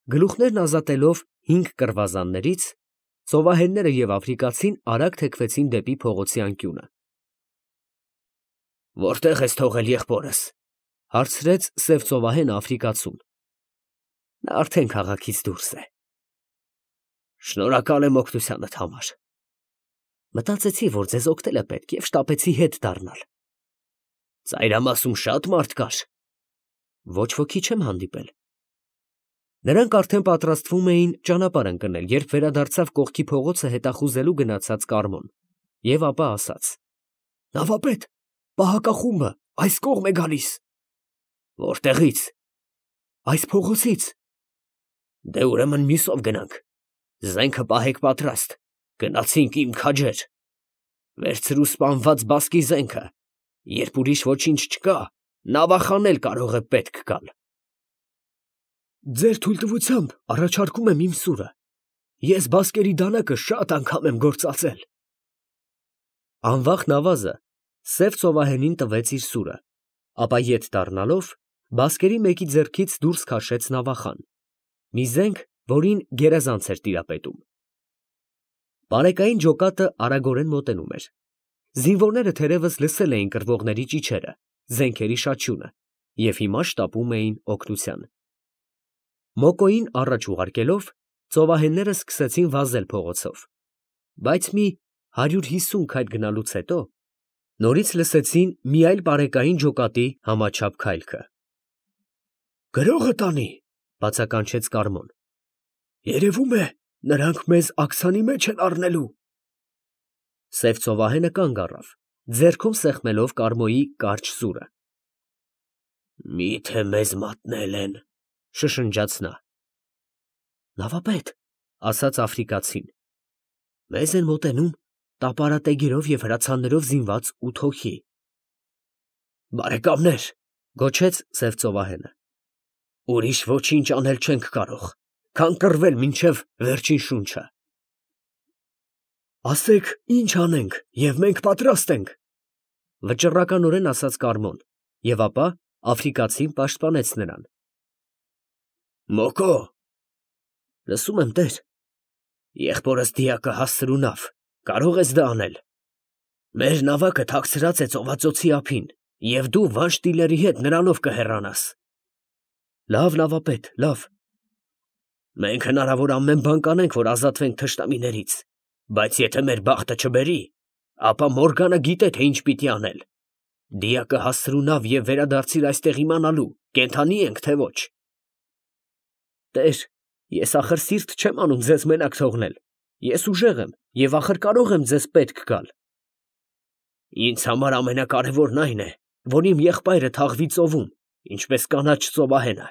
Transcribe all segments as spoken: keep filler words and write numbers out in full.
Գլուխներն ազատելով հինգ կռվազաններից, ծովահենները և աֆրիկացին արագ թեքվեցին դեպի փողոցի անկյունը։ ֊ Որտե՞ղ ես թողել եղբորս, ֊ հարցրեց սև ծովահենը աֆրիկացուն։ ֊ Նա արդեն քաղաքից դուրս է։ ֊ Շնորհակալ եմ օգնությանդ համար։ ֊ Մտածեցի, որ ձեզ օգնելը պետք է և շտապեցի հետ դառնալ։ ֊ Ծայրամասում շատ մարդ կար։ ֊ Ոչ ոքի չեմ հանդիպել։ Նրանք արդեն պատրաստվում էին ճանապարհ ընկնել, երբ վերադարձավ կողքի փողոցը հետախուզելու գնացած Կարմոն և ապա ասաց. ֊ Նավապետ, պահակախումբը այս կողմ է գալիս։ ֊ Որտեղի՞ց։ ֊ Այս փողոցից։ ֊ Դե ուրեմն մյուսով գնանք։ Զենքը պահեք պատրաստ, գնացինք իմ քաջեր։ Վերցրու սպանված բասկի զենքը, երբ ուրիշ ոչինչ չկա, նավախան էլ կարող է պետք գալ։ Ձեր թույլտվությամբ առաջարկում եմ իմ սուրը. ես բասկերի դանակը շատ անգամ եմ գործածել։ Անվախ նավազը սև ծովահենին տվեց իր սուրը, ապա ետ դառնալով, բասկերի մեկի ձեռքից դուրս քաշեց նավախան, մի զենք, որին գերազանց էր տիրապետում։ Պարեկային ջոկատը արագորեն մոտենում էր։ Զինվորները թերևս լսել էին կռվողների ճիչերը, զենքերի շաչյունը և հիմա շտապում էին օգնության։ Մոկոին առաջ ուղարկելով, ծովահենները սկսեցին վազել փողոցով, բայց մի հարյուր հիսուն քայլ գնալուց հետո նորից լսեցին մի այլ պարեկային ջոկատի համաչափ քայլքը։ «Գրողը տանի», ֊ բացականչեց Կարմոն։ «Երևում է, նրանք մեզ աքսանի մեջ են առնելու»։ Սև ծովահենը կանգ առավ, ձեռքում սեղմելով Կարմոյի կարճ սուրը։ «Մի՞թե մեզ մատնել են», ֊ շշնջաց նա։ «Նավապետ, ֊ ասաց աֆրիկացին, ֊ մեզ են մոտենում տապարատեգերով և հրացաններով զինված ութ հոգի»։ «Բարեկամներ, ֊ գոչեց սև ծովահենը, ֊ ուրիշ ոչինչ անել չենք կարող, քան կռվել մինչև վերջին շունչը»։ «Ասեք, ինչ անենք, և մենք պատրաստ ենք, ֊ վճռականորեն ասաց Կարմոն և ապա աֆրիկացին պաշտպանեց նրան։ «Մոկո, ֊ լսում եմ, տեր, ֊ եղբորս դիակը հասցրու նավ, կարո՞ղ ես դա անել։ Մեր նավակը թաքցրած է ծովածոցի ափին, և դու վանշտիլերի հետ նրանով կհեռանաս։ ֊ Լավ, նավապետ, լավ։ ֊ Մենք հնարավոր ամեն բան կանենք, որ ազատվենք թշնամիներից, բայց եթե մեր բախտը չբերի, ապա Մորգանը գիտե, թե ինչ պիտի անել։ Դիակը հասցրու նավ և վերադարձիր այստեղ իմանալու, կենդանի ենք, թե ոչ։ ֊ Տեր, ես ախր սիրտ չեմ անում ձեզ մենակ թողնել, ես ուժեղ եմ և ախր կարող եմ ձեզ պետք գալ։ ֊ Ինձ համար ամենակարևորն այն է, որ իմ եղբայրը թաղվի ծովում, ինչպես կանաչ ծովահենը։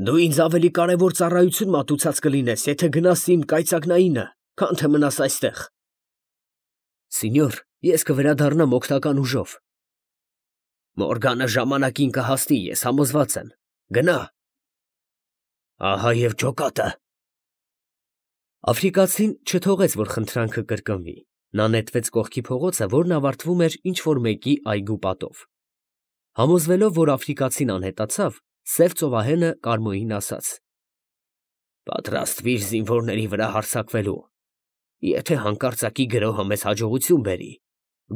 Դու ինձ ավելի կարևոր ծառայություն մատուցած կլինես, եթե գնաս իմ կայծակնայինը, քան թե մնաս այստեղ։ ֊ Սինյոր, ես կվերադառնամ օգնական ուժով։ ֊ Մորգանը ժամանակին կհասնի, ես համոզված եմ, գնա։ ֊ Ահա և ջոկատը։ Աֆրիկացին չթողեց, որ խնդրանքը կրկնվի, նա նետվեց կողքի փողոցը, որն ավարտվում էր ինչ֊որ մեկի այգու պատով։ Համոզվելով, որ աֆրիկացին անհետացավ, սև ծովահենը Կարմոյին ասաց. «Պատրաստվիր զինվորների վրա հարձակվելու։ Եթե հանկարծակի գրոհը մեզ հաջողություն բերի,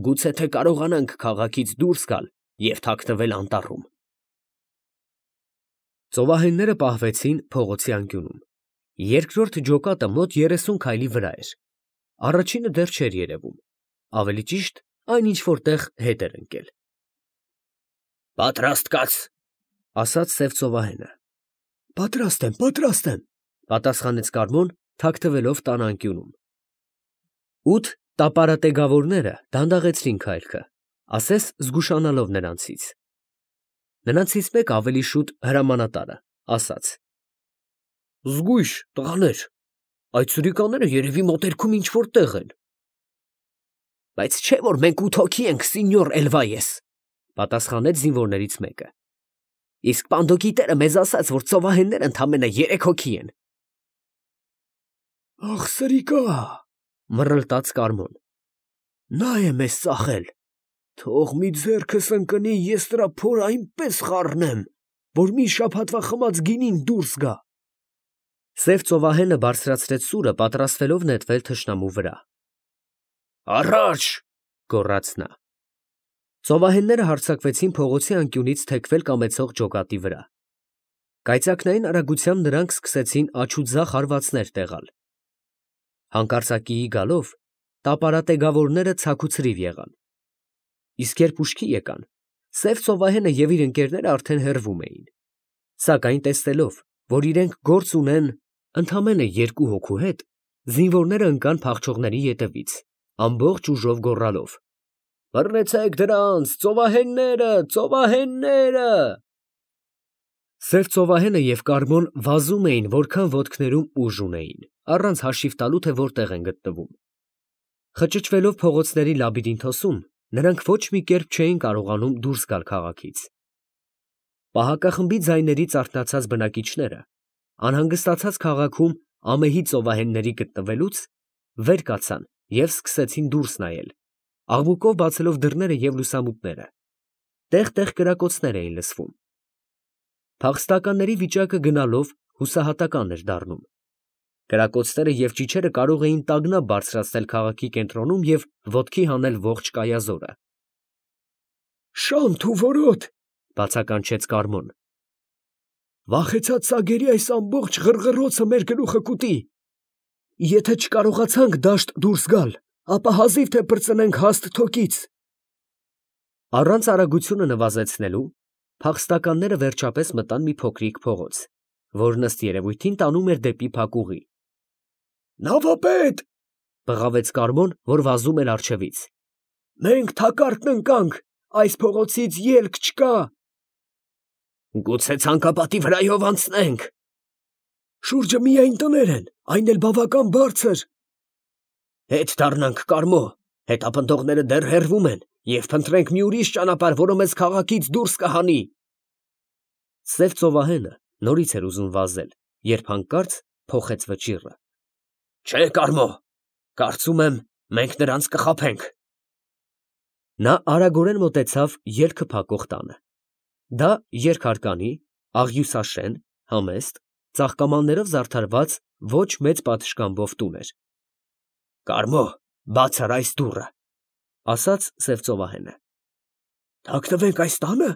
գուցե թե կարողանանք քաղաքից դուրս գալ և թաքնվել անտառում»։ Ծովահենները պահվեցին փողոցի անկյունում։ Երկրորդ ջոկատը մոտ երեսուն քայլի վրա էր, առաջինը դեռ չէր երևում, ավելի ճիշտ, այն ինչ֊որ տեղ հետ էր ընկել։ ֊ Պատրաստ կաց, ֊ ասաց սև ծովահենը։ ֊ Պատրաստ եմ, պատրաստ եմ, ֊ պատասխանեց Կարմոն, թաքնվելով տան անկյունում։ Ութ տապարատեգավորները դանդաղեցրին քայլքը, ասես զգուշանալով նրանցից։ Նրանցից մեկը ավելի շուտ հրամանատարը ասաց. «Զգույշ, տղաներ, այդ սրիկաները երևի մոտերքում ինչ֊որ տեղ են։ ֊ Բայց չէ՞ որ մենք ութ հոգի ենք, Սինյոր Էլվայես, ֊ պատասխանեց զինվորներից մեկը։ ֊ Իսկ պանդոկի տերը մեզ ասաց, որ ծովահենները ընդամենը երեք հոգի են։ ֊ Ախ, սրիկա, ֊ մռլտաց Կարմոն, ֊ նա է մեզ ծախել, թող մի ձեռքս ընկնի, ես նրա փորը այնպես խառնեմ, որ մի շաբաթվա խմած գինին դուրս գա։ Սև ծովահենը բարձրացրեց սուրը, պատրաստվելով նետվել թշնամու վրա։ Առաջ, գոռաց նա։ Ծովահենները հարձակվեցին փողոցի անկյունից թեքվել կամեցող ջոկատի վրա։ Կայծակնային արագությամբ նրանք սկսեցին աջ ու ձախ հարվածներ տեղալ։ Հանկարծակիի գալով տապարատեգավորները ցաքուցրիվ եղան։ Իսկ երբ ուշքի եկան, սև ծովահենը և իր ընկերները արդեն հեռվում էին։ Սակայն տեսնելով, որ իրենք գործ ունեն ընդամենը երկու հոգու հետ, զինվորները ընկան փախչողների ետևից, ամբողջ ուժով գոռալով. «Բռնեցեք դրանց, ծովահենները, ծովահենները»։ Սև ծովահենը և Կարմոն վազում էին, որքան ոտքներում ուժ ունեին, առանց հաշիվ տալու, թե որտեղ են գտնվում։ Խճճվելով փողոցների լաբիրինթոսում, նրանք ոչ մի կերպ չէին կարողանում դուրս գալ քաղաքից։ Պահակախմբի ձայներից արթնացած բնակիչները, անհանգստացած քաղաքում ամեհի ծովահենների գտնվելուց, վեր կացան և սկսեցին դուրս նայել, աղմուկով բացելով դռները և լուսամուտները։ Տեղ֊տեղ կրակոցներ էին լսվում։ Փախստականների վիճակը գնալով հուսահատական էր դառնում։ Կրակոցները և ճիչերը կարող էին տագնապ բարձրացնել քաղաքի կենտրոնում և ոտքի հանել ողջ կայազորը։ «Շանթ ու որոտ», բացականչեց Կարմոն։ «Վախեցած սագերի այս ամբողջ ղռղռոցը մեր գլուխը կուտի։ Եթե չկարողացանք դաշտ դուրս գալ, ապա հազիվ թե պրծնենք հաստ թոկից»։ Առանց արագությունը նվազեցնելու, փախստականները վերջապես մտան մի փոքրիկ փողոց, որն ըստ երևույթին տանում էր դեպի փակուղի։ «Նավապետ», բղավեց Կարմոն, որ վազում էր առջևից, «մենք թակարդն ընկանք, այս փողոցից ելք չկա»։ «Գուցե ցանկապատի վրայով անցնենք»։ «Շուրջը միայն տներ են, այն էլ բավական բարձր»։ «Հետ դառնանք, Կարմո, հետապնդողները դեռ հեռվում են, և փնտրենք մի ուրիշ ճանապարհ, որը մեզ քաղաքից դուրս կհանի»։ Սև ծովահենը նորից էր ուզում վազել, երբ հանկարծ փոխեց վճիռը։ «Չէ, Կարմո, կարծում եմ, մենք նրանց կխաբենք»։ Նա արագորեն մոտեցավ ելքը փակող տանը։ Դա երկհարկանի, աղյուսաշեն, համեստ, ծաղկամաններով զարդարված ոչ մեծ պատշգամբով տուն էր։ «Կարմո, բաց արա այս դուռը», ասաց սև ծովահենը։ «Թաքնվենք այս տա՞նը»։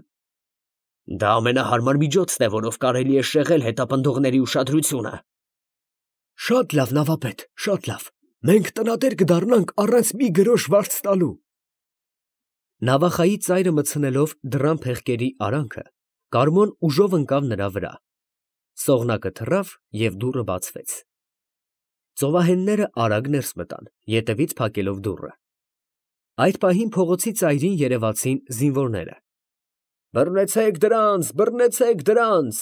Դա ամենահարմար միջոցն է, որով կարելի է շեղել հետապնդողների ուշադրությունը։ Շատ լավ, նավապետ, շատ լավ, մենք տնատեր կդառնանք առանց մի գրոշ վարձ տալու։ Նավախայի ծայրը մտցնելով դռան փեղկերի արանքը, Կարմոն ուժով ընկավ նրա վրա։ Սողնակը թռավ և դուռը բացվեց։ Ծովահենները արագ ներս մտան, ետևից փակելով դուռը։ Այդ պահին փողոցի ծայրին երևացին զինվորները։ «Բռնեցեք դրանց, բռնեցեք դրանց»,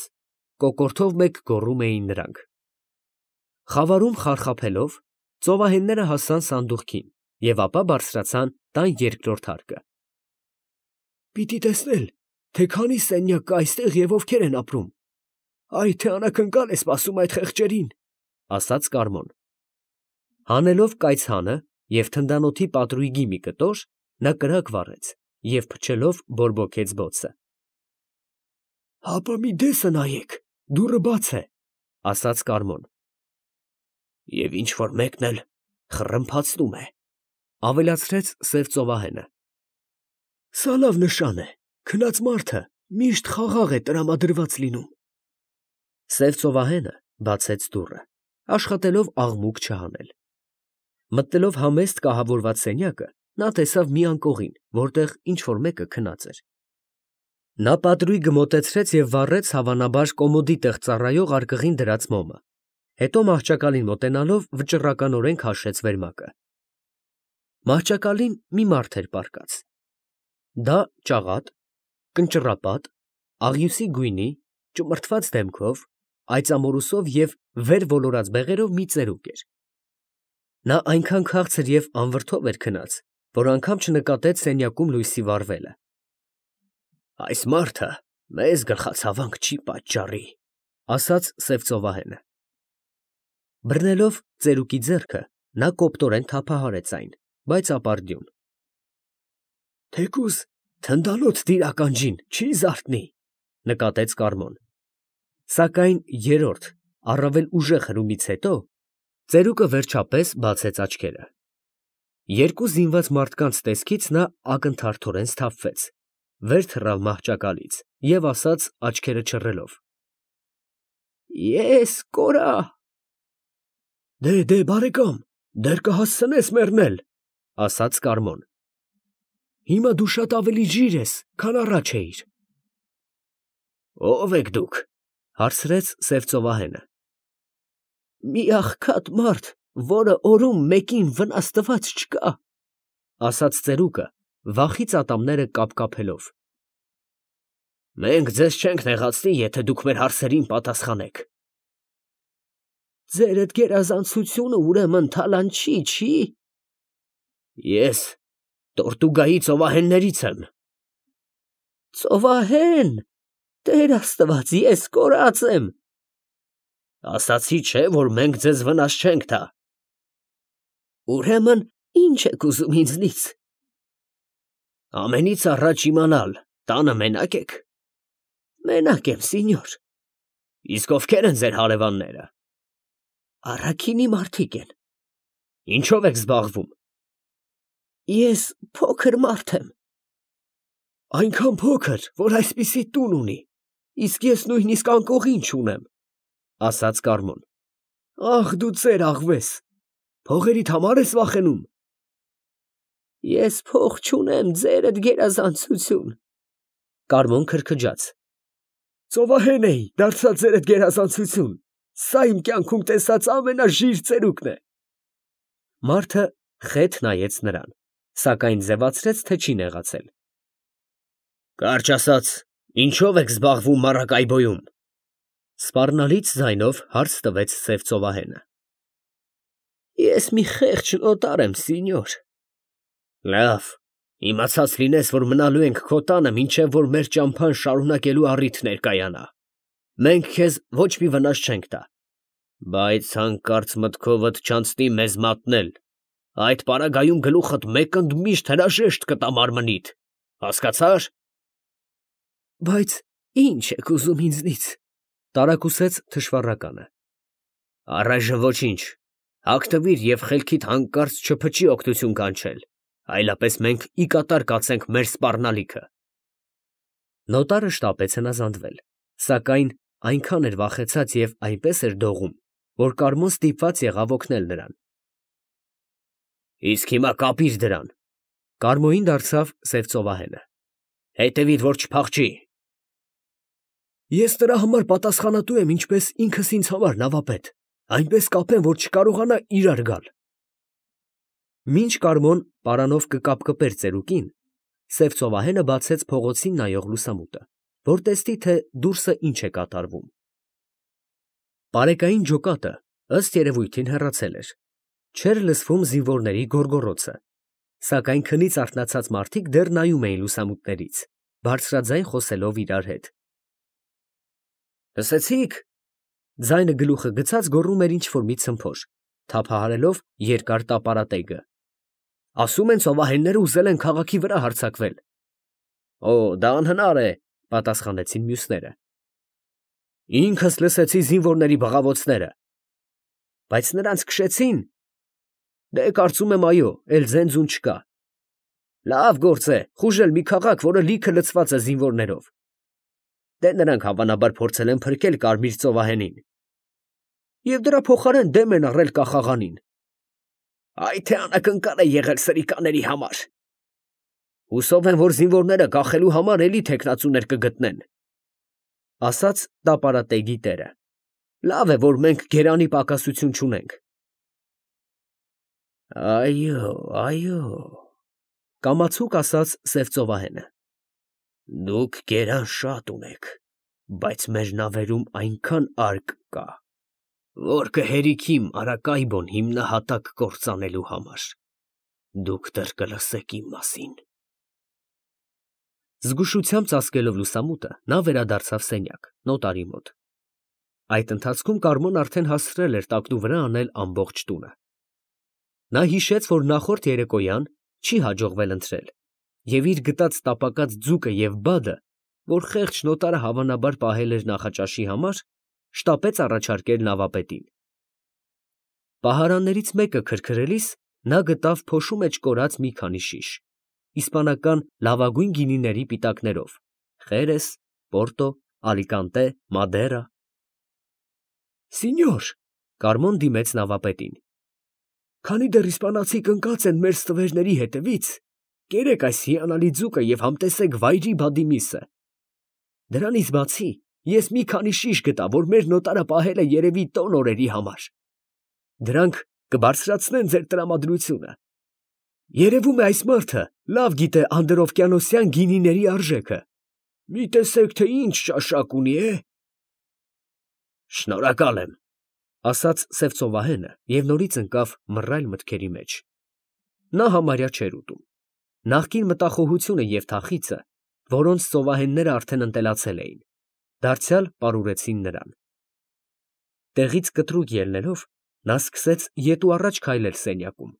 կոկորդով մեկ գոռում էին նրանք։ Խավարում խարխափելով, ծովահենները հասան սանդուղքին և ապա բարձրացան տան երկրորդ հարկը։ «Պիտի տեսնել, թե քանի սենյակ կա այստեղ և ովքեր են ապրում։ Այ թե անակնկալ է սպասում այդ խեղճերին», ասաց Կարմոն։ Հանելով կայծհանը և թնդանոթի պատրույգի մի կտոր, նա կրակ վառեց և փչելով բորբոքեց բոցը։ «Հապա մի դեսը նայեք, դուռը բաց է», ասաց Կարմոն։ «Եվ ինչ որ մեկն էլ խռմփացնում է», ավելացրեց սև ծովահենը։ «Սա լավ նշան է, քնած մարդը միշտ խաղաղ է տրամադրված լինում»։ Սև ծովահենը բացեց դուռը, աշխատելով աղմուկ չհանել։ Մտնելով համեստ կահավորված սենյակը, նա տեսավ մի անկողին, որտեղ ինչ֊որ մեկը քնած էր։ Նա պատրույգը մոտեցրեց և վառեց հավանաբար կոմոդի տեղ ծառայող արկղին դրած մոմը, հետո մահճակալին մոտենալով վճռականորեն քաշեց վերմակը։ Մահճակալին մի մարդ էր պառկած։ Դա ճաղատ, կնճռապատ, աղյուսի գույնի, ճմրթված դեմքով, այծամորուսով և վեր ոլորած բեղերով մի ծերուկ էր։ Նա այնքան քաղցր և անվրդով էր քնած, որ անգամ չնկատեց սենյակում լույսի վառվելը։ «Այս մարդը մեզ գլխացավանք չի պատճառի», ասաց սև ծովահենը։ Բռնելով ծերուկի ձեռքը, նա կոպտորեն թափահարեց այն, բայց ապարդյուն։ «Թեկուզ թնդանոթ դիր ականջին չի զարթնի», նկատեց Կարմոն։ Սակայն երրորդ, առավել ուժեղ հրումից հետո ծերուկը վերջապես բացեց աչքերը։ Երկու զինված մարդկանց տեսքից նա ակնթարթորեն սթափվեց, վեր թռավ մահճակալից և ասաց աչքերը չռելով. «Ես կորա»։ «Դե, դե, բարեկամ, դեռ կհասցնես մեռնել», ֊ ասաց Կարմոն։ «Հիմա դու շատ ավելի ժիր ես, քան առաջ էիր»։ «Ո՞վ եք դուք», ֊ հարցրեց սև ծովահենը։ «Մի աղքատ մարդ, որը օրում մեկին վնաս տված չկա», ֊ ասաց ծերուկը, վախից ատամները կապկապելով։ «Մենք ձեզ չենք նեղացնի, եթե դուք մեր հարցերին պատասխանեք»։ «Ձերդ գերազանցությունը ուրեմն թալանչի չի»։ «Ես Տորտուգայի ծովահեններից եմ»։ «Ծովահեն, Տեր Աստված, ես կորած եմ»։ «Ասացի չէ, որ մենք ձեզ վնաս չենք տա»։ «Ուրեմն ի՞նչ եք ուզում ինձնից»։ «Ամենից առաջ իմանալ, տանը մենա՞կ եք»։ «Մենակ եմ, սինյոր»։ «Իսկ ովքեր են ձեր հարևանները»։ «Առաքինի մարդիկ են»։ «Ինչո՞վ եք զբաղվում»։ «Ես փոքր մարդ եմ»։ «Այնքան փոքր, որ այսպիսի տուն ունի, իսկ ես նույնիսկ անկողին չունեմ», ֊ ասաց Կարմոն։ «Ախ, դու ծեր աղվես, փողերիդ համար ես վախենում»։ «Ես փող չունեմ, ձերդ գերազանցություն»։ Կարմոն քրքջաց։ «Ծովահեն էի, դարձա ձերդ գերազանցություն, սա իմ կյանքում տեսած ամենաժիր ծերուկն է»։ Մարդը խեթ նայեց նրան, սակայն ձևացրեց, թե չի նեղացել։ «Կարճ ասած, ինչո՞վ եք զբաղվում մառակայբոյում», ֊ սպառնալից ձայնով հարց տվեց սև ծովահենը։ «Ես մի խեղճ նոտար եմ, սինյոր»։ «Լավ, իմացած լինես, որ մնալու ենք քո տանը, մինչև որ մեր ճամփան շարունակելու առիթ ներկայանա։ Մենք քեզ ոչ մի վնաս չենք տա, բայց հանկարծ մտքովդ չանցնի մեզ մատնել, այդ պարագայում գլուխդ մեկ ընդմիշտ հրաժեշտ կտա մարմնիդ, հասկացա՞ր»։ «Բայց ի՞նչ եք ուզում ինձնից», ֊ տարակուսեց թշվառականը։ «Առայժմ ոչինչ, հագնվիր և խելքիդ հանկարծ չփչի օգնություն կանչել, այլապես մենք ի կատար կացենք մեր սպառնալիքը»։ Նոտարը շտապեց հնազանդվել, սակայն այնքան էր վախեցած և այնպես էր դողում, որ Կարմոն ստիպված եղավ օգնել նրան։ «Իսկ հիմա կապիր դրան», ֊ Կարմոյին դարձավ սև ծովահենը։ «Հետևից որ չփախչի»։ «Ես նրա համար պատասխանատու եմ ինչպես ինքս ինձ համար, նավապետ, այնպես կապեմ, որ չկարողանա իրար գալ»։ Մինչ Կարմոն պարանով կկապկպեր ծերուկին, սև ծովահենը բացեց փողոցին նայող լուսամուտը, որ տեսնի, թե դուրսը ինչ է կատարվում։ Պարեկային ջոկատը ըստ երևույթին հեռացել էր, չէր լսվում զինվորների գոռգոռոցը, սակայն քնից արթնացած մարդիկ դեռ նայում էին լուսամուտներից, բարձրաձայն խոսելով իրար հետ։ «Լսեցի՞ք», ֊ ձայնը գլուխը գցած գոռում էր ինչ֊որ մի ցմփոր, թափահարելով երկար տապարատեգը։ «Ասում են ծովահենները ուզել են քաղաքի վրա հարձակվել»։ «Օ, դա անհնար է», ֊ պատասխանեցին մյուսները։ «Ինքս լսեցի զինվորների բղավոցները»։ «Բայց նրանց քշեցի՞ն»։ «Դե, կարծում եմ, այո, էլ ձեն֊ձուն չկա»։ «Լավ գործ է, խուժել մի քաղաք, որը լիքը լցված է զինվորներով»։ «Դե, նրանք հավանաբար փորձել են փրկել Կարմիր ծովահենին»։ «Եվ դրա փոխարեն դեմ են առել կախաղանին»։ «Այ թե անակնկալ է եղել սրիկաների համար»։ «Հուսով եմ, որ զինվորները կախելու համար էլի թեկնածուներ կգտնեն», ֊ ասաց տապարատեգի տերը։ «Լավ է, որ մենք գերանի պակասություն չունենք»։ «Այո, այո», ֊ կամացուկ ասաց սև ծովահենը։ «Դուք գերան շատ ունեք, բայց մեր նավերում այնքան արկ կա, որ կհերիքի Մարակայբոն հիմնահատակ կործանելու համար։ Դուք դեռ կլսեք իմ մասին»։ Զգուշությամբ ծածկելով լուսամուտը, նա վերադարձավ սենյակ, նոտարի մոտ։ Այդ ընթացքում Կարմոն արդեն հասցրել էր տակնուվրա անել ամբողջ տունը։ Նա հիշեց, որ նախորդ երեկոյան չի հաջողվել ընթրել, և իր գտած տապակած ձուկը և բադը, որ խեղճ նոտարը հավանաբար պահել էր նախաճաշի համար, շտապեց առաջարկել նավապետին։ Պահարաններից մեկը քրքրելիս նա գտավ փոշու մեջ կորած մի քանի շիշ, իսպանական լավագույն գինիների պիտակներով՝ Խերես, Պորտո, Ալիկանտե, Մադերա։ Սինյոր, Կարմոն դիմեց նավապետին, քանի դեռ իսպանացիք ընկած են մեր ստվերների հետևից, կերեք այս հիանալի ձուկը և համտեսեք վայրի բադի միսը։ Դրանից բացի ես մի քանի շիշ գտա, որ մեր նոտարը պահել է երևի տոն օրերի համար։ Դրանք կբարձրացնեն ձեր տրամադրությունը։ Երևում է այս մարդը լավ գիտե անդրօվկիանոսյան գինիների արժեքը։ Մի տեսեք, թե ինչ ճաշակ ունի է։ Շնորհակալ եմ, ասաց սև ծովահենը և նորից ընկավ մռայլ մտքերի մեջ։ Նա համարյա չէր ուտում։ Նախկին մտախոհությունը և թախիծը, որոնց ծովահենները արդեն ընտելացել էին, դարձյալ պարուրեցին նրան։ Տեղից կտրուկ ելնելով, նա սկսեց ետ ու առաջ քայլել սենյակում։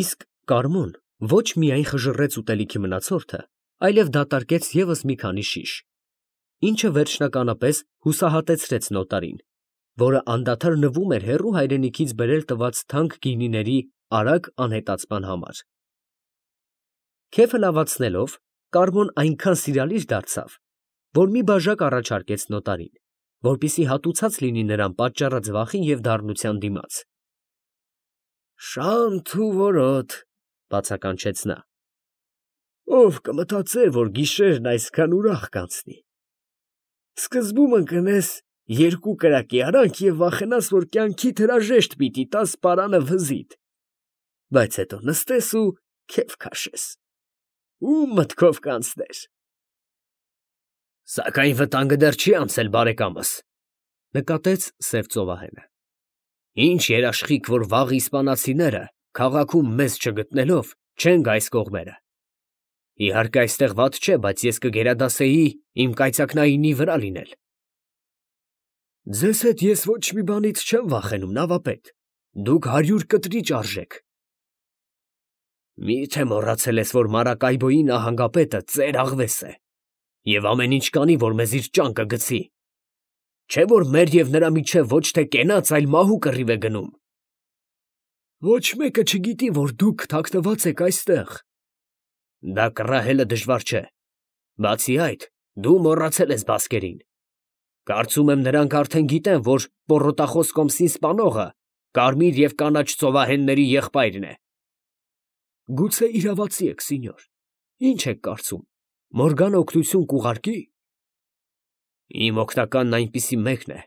Իսկ Կարմոն ոչ միայն խժռեց ուտելիքի մնացորդը, այլև դատարկեց ևս մի քանի շիշ, ինչը վերջնականապես հուսահատեցրեց նոտարին, որը անդադար նվում էր հեռու հայրենիքից բերել տված թանկ գինիների արագ անհետացման համար։ Քեֆը լավացնելով, Կարմոն այնքան սիրալիր դարձավ, որ մի բաժակ առաջարկեց նոտարին, որպեսզի հատուցած լինի նրան պատճառած վախի և դառնության դիմաց։ Շանթ ու որոտ, բացականչեց նա։ Ով կմտածեր, որ գիշերն այսքան ուրախ կանցնի։ Սկզբում ընկնես երկու կրակի արանք և վախենաս, որ կյանքիդ հրաժեշտ պիտի տաս պարանը վզիդ, բայց հետո նստես ու քեֆ քաշես։ Ում մտքով կանցներ։ Սակայն վտանգը դեռ չի անցել, բարեկամս, նկատեց սև ծովահենը։ Ինչ երաշխիք, որ վաղ իսպանացիները քաղաքում մեզ չգտնելով չեն գա այս կողմերը։ Իհարկե այստեղ վատ չէ, բայց ես կգերադասեի իմ կայծակնայինի վրա լինել։ Ձեզ հետ ես ոչ մի բանից չեմ վախենում, նավապետ, դուք հարյուր կտրիճ արժեք։ Մի՞թե մոռացել ես, որ Մարակայբոյի նահանգապետը ծեր աղվես է, և ամեն ինչ կանի, որ մեզ իր ճանկը գցի։ Չէ՞ որ մեր և նրա միջև ոչ թե կենաց, այլ մահու կռիվ է գնում։ Ոչ մեկը չգիտի, որ դուք թաքնված եք այստեղ։ Դա կռահելը դժվար չէ։ Բացի այդ, դու մոռացել ես բասկերին։ Կարծում եմ, նրանք արդեն գիտեն, որ Պոռոտախոս կոմսին սպանողը կարմիր և կանաչ ծովահենների եղբայրն է։ Գուցե իրավացի եք, սինյոր։ Ինչ եք կարծում, Մորգանը օգնություն կուղարկի։ Իմ օգնականն այնպիսի մեկն է,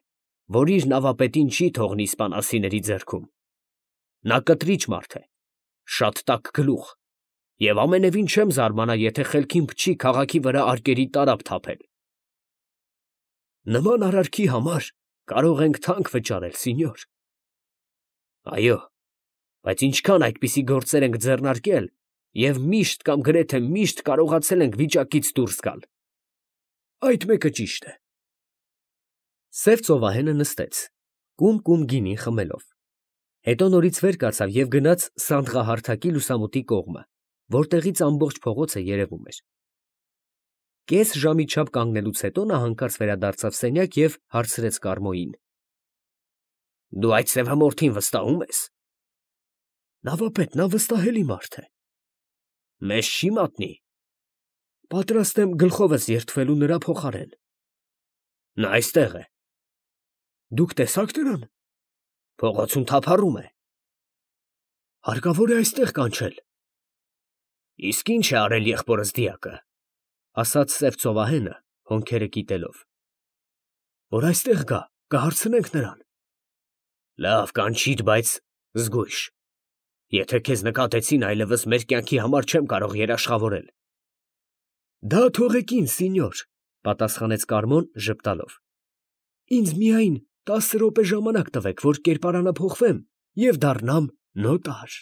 որ իր նավապետին չի թողնի իսպանացիների ձեռքում։ Նա կտրիչ մարդ է, շատ տաք գլուխ, և ամենևին չեմ զարմանա, եթե խելքին փչի քաղաքի վրա արկերի տարափ թափել։ Նման արարքի համար կարող ենք թանկ վճարել, սինյոր։ Այո, բայց ինչքան այդպիսի գործեր ենք ձեռնարկել և միշտ կամ գրեթե միշտ կարողացել ենք վիճակից դուրս գալ։ Այդ մեկը ճիշտ է։ Սև ծովահենը նստեց, կում֊կում գինին խմելով։ Հետո նորից վեր կացավ և գնաց սանդղահարթակի լուսամուտի կողմը, որտեղից ամբողջ փողոցը երևում էր։ Կես ժամի չափ կանգնելուց հետո նա հանկարծ վերադարձավ սենյակ և հարցրեց Կարմոյին. Դու այդ սևամորթին վստահում ես։ Նավապետ, նա վստահելի մարդ է։ Մեզ չի մատնի։ Պատրաստ եմ գլխովս երդվելու նրա փոխարեն։ Նա այստեղ է։ Դուք տեսա՞ք նրան։ Փողոցում թափառում է։ Հարկավոր է այստեղ կանչել։ Իսկ ինչ է արել եղբորս դիակը, ասաց սև ծովահենը, հոնքերը կիտելով։ Որ այստեղ գա, կհարցնենք նրան։ Լավ, կանչիր, բայց զգույշ։ Եթե քեզ նկատեցին, այլևս մեր կյանքի համար չեմ կարող երաշխավորել։ Դա թողեք ինձ, սինյոր, պատասխանեց Կարմոն ժպտալով։ Ինձ միայն տասը րոպե ժամանակ տվեք, որ կերպարանափոխվեմ և դառնամ նոտար։